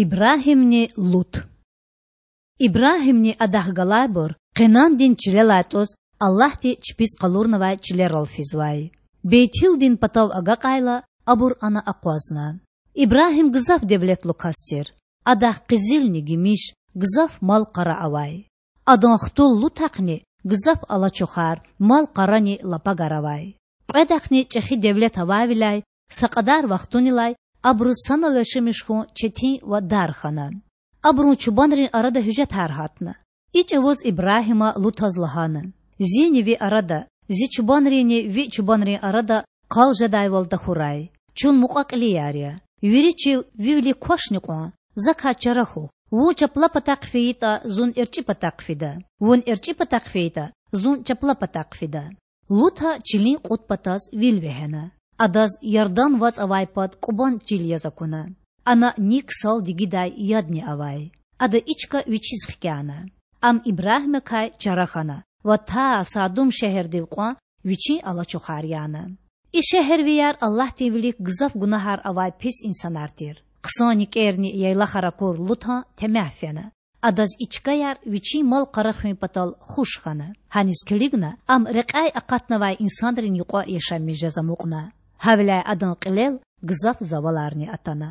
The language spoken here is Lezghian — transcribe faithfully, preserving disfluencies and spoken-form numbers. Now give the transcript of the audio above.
Ибрагьимни Лут. Ибрагьимни адахъ галайбур Къенандин чилелай тІуз Аллагьди чпиз къалурнавай чилерал физвай. Бейтилдин патав агакьайла, абур ана акъвазна. Ибрагьим гзаф девлетлу кас тир. Адахъ къизилни гимиш, гзаф мал-къара авай. Адан хтул Лутахъни гзаф алачухар, мал-къарани лапагар авай. Кьведахъни чІехи девлет авайвиляй са кьадар вахтунилай абуруз санал яшамиш хьун четин ва дар хьана. Абурун чубанрин арада гьуьжетар гьатна. И чІавуз Ибрагьима Лутаз лагьана: Зини ви арада, зи чубанринни ви чубанрин арада къал жедайвал тахьурай. Чун мукьва-кьилияр я. Вири чил ви вилик квачни кьван, закай чара хьухь. Вун чапла патахъ фейитІа, зун эрчІи патахъ фида, вун эрчІи патахъ фейитІа, зун чапла патахъ фида. Лута чилин кьуд патаз вил вегьена. Адаз Ярдан вацІ авай пад кІубан чил яз акуна. Ана ник сал дигидай ядни авай. Ада и чка вичиз хкяна. Ам Ибрагьимакай чара хьана ва та Садум шегьердив кьван вичин алачухар яна. И шегьервияр Аллагьдин вилик гзаф гунагьар авай пис инсанар тир. Хъсан никІерни яйлахар акур Лутан темягь фена. Адаз и чкаяр вичин мал-къара хуьн патал хуш хьана. Гьаниз килигна ам рекьяй акъатнавай инсанрин юкьва яшамиш жез амукьна. Гьавиляй адан кьилел гзаф заваларни атана.